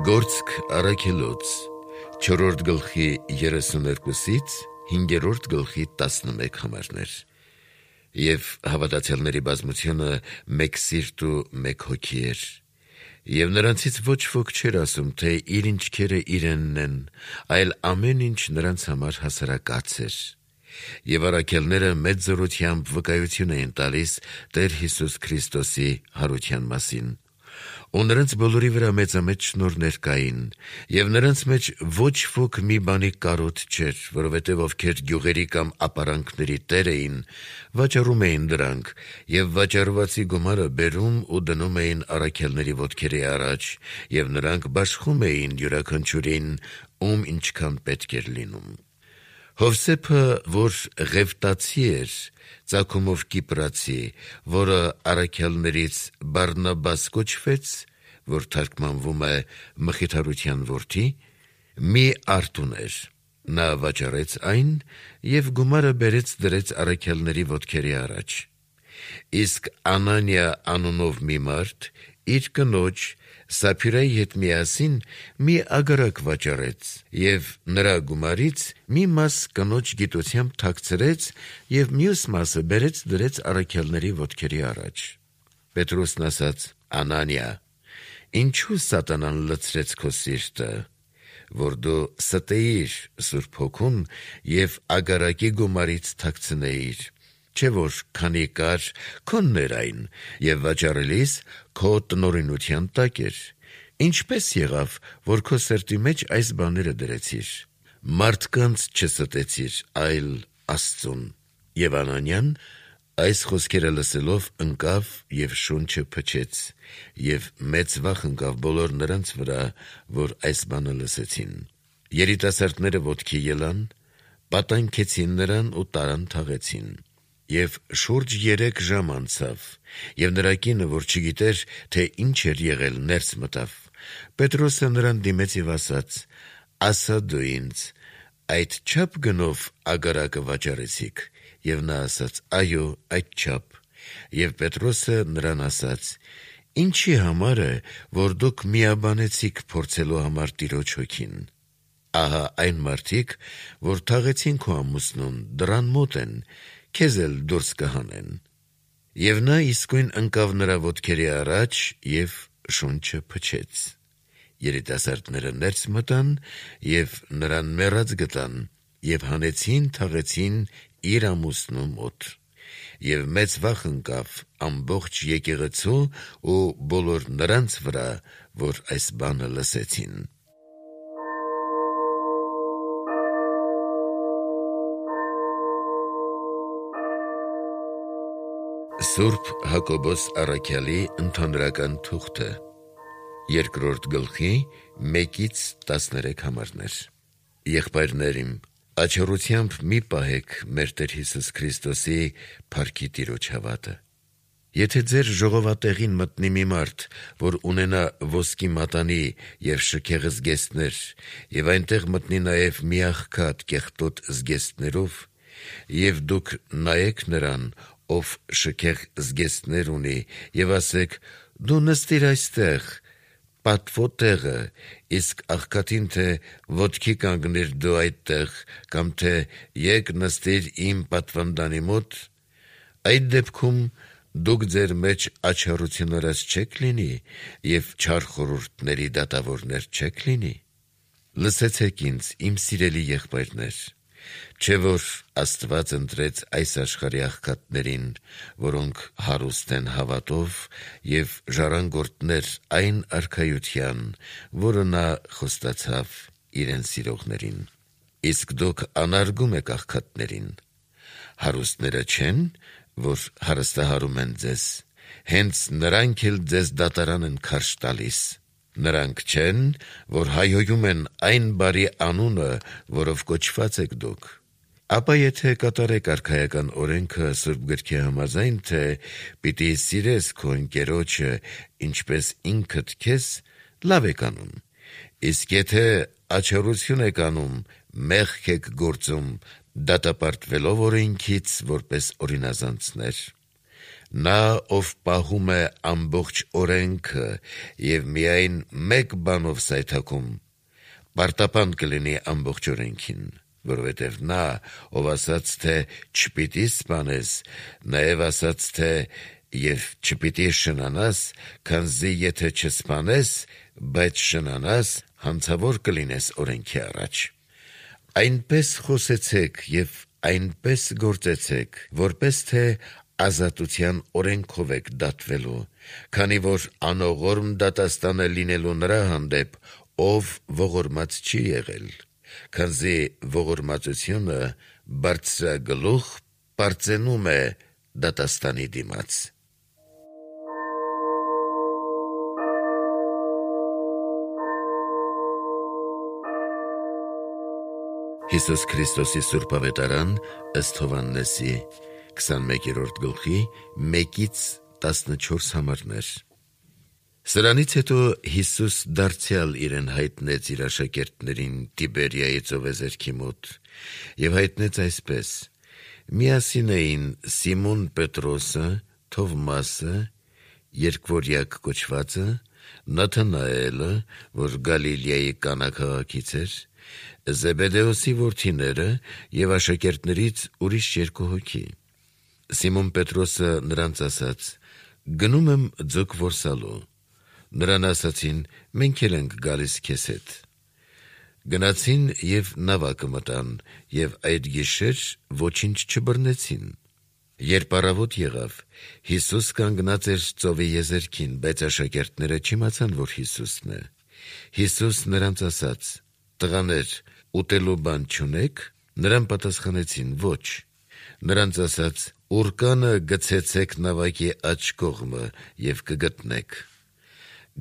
Գործք առաքելոց 4-րդ գլխի 32-ից 5-րդ գլխի 11 համարներ։ Եվ հավատացյալների բազմությունը մեկ սիրտ ու մեկ հոգի էր։ Եվ նրանցից ոչ ոք չէր ասում, թե իր ինչքերը իրենն են, այլ ամեն ինչ նրանց համար հասարակած էր։ Եվ առաքելները մեծ զորությամբ վկայություն էին տալիս Տեր Հիսուս Քրիստոսի հարության մասին։ Ու նրանց բոլորի վրա մեծամեծ շնորհներ կային, եւ նրանց մեջ ոչ ոք մի բանի կարոտ չէր, որովհետեւ ովքեր գյուղերի կամ ապարանքների տեր էին, վաճառում էին դրանք, եւ վաճառվածի գումարը բերում ու դնում էին առաքելների ոտքերի առաջ, եւ նրանք բաշխում էին յուրաքանչյուրին, ում ինչքան պետք էր լինում։ Հովսեփը, որ Ղևտացի էր, ծագումով Կիպրացի, որը առաքելներից Բարնաբաս կոչվեց, որ թարգմանվում է մխիթարության որդի, մի արտ ուներ։ Նա վաճառեց այն եւ գումարը բերեց դրեց առաքելների ոտքերի առաջ։ Իսկ Անանիա անունով մի մարդ իր կնոջ Սափիրայի հետ միասին մի ագարակ վաճառեց եւ նրա գումարից մի մաս կնոջ գիտությամբ թաքցրեց եւ մյուս մասը բերեց դրեց առաքելների ոտքերի առաջ։ Պետրոսն ասաց. Անանիա, ինչու սատանան լցրեց քո սիրտը, որ դու ստեիր Սուրբ Հոգուն եւ ագարակի գումարից թաքցնեիր, չէ՞ որ քանի կար քոնն էր այն եւ վաճառելիս քո տնօրինության տակ էր։ Ինչպես եղավ, որ քո սրտի մեջ այս բաները դրեցիր։ Մարդկանց չստեցիր, այլ Աստծուն։ Եվ Անանիան այս խոսքերը լսելով ընկավ եւ շունչը փչեց, եւ մեծ վախ ընկավ բոլոր նրանց վրա, որ այս բանը լսեցին։ Երիտասարդները ոտքի ելան, պատանքեցին նրան ու տարան թաղեցին։ Եվ շուրջ 3 ժամ անցավ, եւ նրա կինը, որ չգիտեր, թե ինչ էր եղել, ներս մտավ։ Պետրոսը նրան դիմեց եւ ասաց. ասա դու ինձ, այդ չափ գնով ագարակը վաճառեցիք։ Եվ նա ասաց. այո, այդչափ։ Եվ Պետրոսը նրան ասաց. ինչի համար է, որ դուք միաբանեցիք փորձելու համար Տիրոջ հոգին։ Ահա այն մարդիկ, որ թաղեցին քո ամուսնուն, դռան մոտ են, քեզ էլ դուրս կհանեն։ Եվ նա իսկույն ընկավ նրա ոտքերի առաջ եւ շունչը փչեց։ Երիտասարդները ներս մտան եւ նրան մեռած գտան եւ հանեցին թաղեցին իր ամուսնու մոտ։ Եվ մեծ վախ ընկավ ամբողջ եկեղեցու ու բոլոր նրանց վրա, որ այս բանը լսեցին։ Սուրբ Հակոբոս առաքյալի ընդհանրական թուղթը 2-րդ գլխի 1-ից 13 համարներ։ Եղբայրներ իմ, աչառությամբ մի պահեք մեր Տեր Հիսուս Քրիստոսի փառքի Տիրոջ հավատը։ Եթե ձեր ժողովատեղին մտնի մի մարդ, որ ունենա ոսկի մատանի եւ շքեղ զգեստներ, եւ այնտեղ մտնի նաեւ մի աղքատ կեղտոտ զգեստներով, եւ դուք նայեք նրան, ով շքեղ զգեստներ ունի, եւ ասեք. դու նստիր այստեղ, պատվո տեղը, իսկ աղքատին թե ոտքի կանգնիր դու այդտեղ, կամ թե եկ նստիր իմ պատվանդանի մոտ, այդ դեպքում դուք ձեր մեջ աչառություններս չեք լինի եւ չար խորհուրդների դատավորներ չեք լինի։ Լսեցեք ինձ, իմ սիրելի եղբայրներ, չէ՞ որ Աստված ընտրեց այս աշխարհի աղքատներին, որոնք հարուստ են հավատով եւ ժառանգորդներ այն արքայության, որը նա խոստացավ իրեն սիրողներին։ Իսկ դուք անարգում եք աղքատներին։ Հարուստները չեն, որ հարստահարում են ձեզ, հենց նրանք էլ ձեզ դատարան են քարշ տալիս։ Նրանք չեն, որ հայհոյում են այն բարի անունը, որով կոչված եք դուք։ Ապա եթե կատարեք արքայական օրենքը Սուրբ գրքի համաձայն, թե պիտի սիրես քո ընկերոջը ինչպես ինքդ քեզ, լավ եք անում։ Իսկ եթե աչառություն եք անում, մեղք եք գործում, դատապարտվելով օրենքից որպես օրինազանցներ։ Նա, ով պահում է ամբողջ օրենքը եւ միայն մեկ բանով սայթաքում, պարտապան կլինի ամբողջ օրենքին, որովհետև նա, ով ասաց, թե չպիտի սպանես, նաև ասաց, թե եւ չպիտի շնանաս, քանզի եթե չսպանես, բայց շնանաս, հանցավոր կլինես օրենքի առաջ։ Այնպես խոսեցեք եւ այնպես գործեցեք, որպես թե ազատության օրենքով եք դատվելու, քանի որ անողորմ դատաստանը լինելու նրա հանդեպ, ով ողորմած չի եղել, քանզի ողորմածությունը բարձրագլուխ պարծենում է դատաստանի դիմաց։ Հիսուս Քրիստոսի Սուրբ Ավետարան ըստ Հովհաննեսի 21-րդ գլխի 1-14 համարներ։ Սրանից հետո Հիսուս դարձյալ իրեն հայտնեց իր աշակերտներին Տիբերիայի ծովեզերքի մոտ եւ հայտնեց այսպես. միասին էին Սիմոն Պետրոսը, Թովմասը, Երկվորյակ կոչվածը, Նաթանայելը, որ Գալիլեայի Կանա քաղաքից էր, Զեբեդեոսի որդիները եւ աշակերտներից ուրիշ երկու հոգի։ Սիմոն Պետրոսը նրանց ասաց. գնում եմ ձուկ որսալու։ Նրան ասացին. մենք էլ ենք գալիս քեզ հետ։ Գնացին եւ նավակը մտան եւ այդ գիշեր ոչինչ չբռնեցին։ Երբ առավոտ եղավ, Հիսուս կանգնած էր ծովի եզերքին, բայց աշակերտները չիմացան, որ Հիսուսն է։ Հիսուս նրանց ասաց. տղաներ, ուտելու բան չունե՞ք։ Նրան պատասխանեցին. ոչ։ Նրանց ասաց. ուռկանը գցեցեք նավակի աջ կողմը եւ կգտնեք։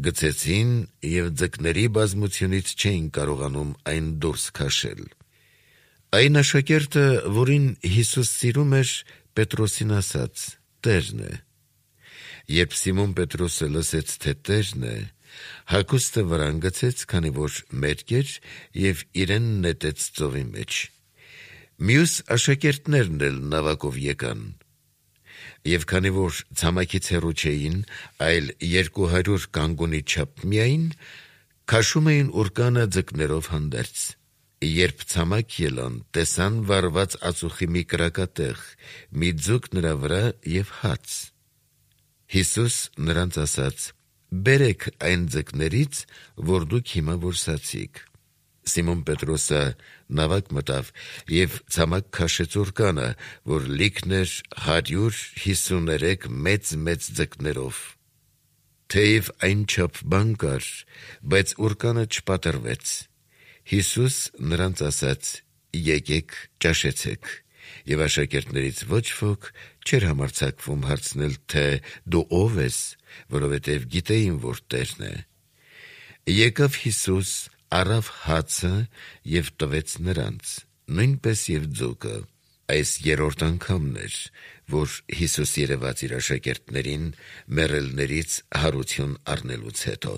Գցեցին եւ ձկների բազմությունից չէին կարողանում այն դուրս քաշել։ Այն աշակերտը, որին Հիսուս սիրում էր, Պետրոսին ասաց. Տերն է։ Երբ Սիմոն Պետրոսը լսեց, թե Տերն է, հագուստը վրան գցեց, քանի որ մերկ էր, եւ իրեն նետեց ծովի մեջ։ Մյուս աշակերտներն էլ նավակով եկան։ Եվ քանի որ ցամաքից հեռու չէին, այլ 200 կանգունի չափ միայն, քաշում էին ուռկանը ձկներով հանդերձ։ Երբ ցամաք ելան, տեսան վառված ածուխի մի կրակատեղ, մի ձուկ նրա վրա եւ հաց։ Հիսուս նրանց ասաց. բերեք այն ձկներից, որ դուք հիմա որսացիք։ Սիմոն Պետրոսը նավակ մտավ եւ ցամաք քաշեց ուռկանը, որ լիքն էր 153 մեծ ձկներով։ Թեև այնչափ բան կար, բայց ուռկանը չպատրվեց։ Հիսուս նրանց ասաց. եկեք ճաշեցեք։ Եվ աշակերտներից ոչ ոք չէր համարձակվում հարցնել, թե դու ով ես, որովհետև գիտեին, որ Տերն է։ Եկավ Հիսուս, առավ հացը եւ տվեց նրանց, նույնպես եւ ձուկը։ Այս երրորդ անգամն էր, որ Հիսուս երևաց իր աշակերտներին մեռելներից հարություն առնելուց հետո։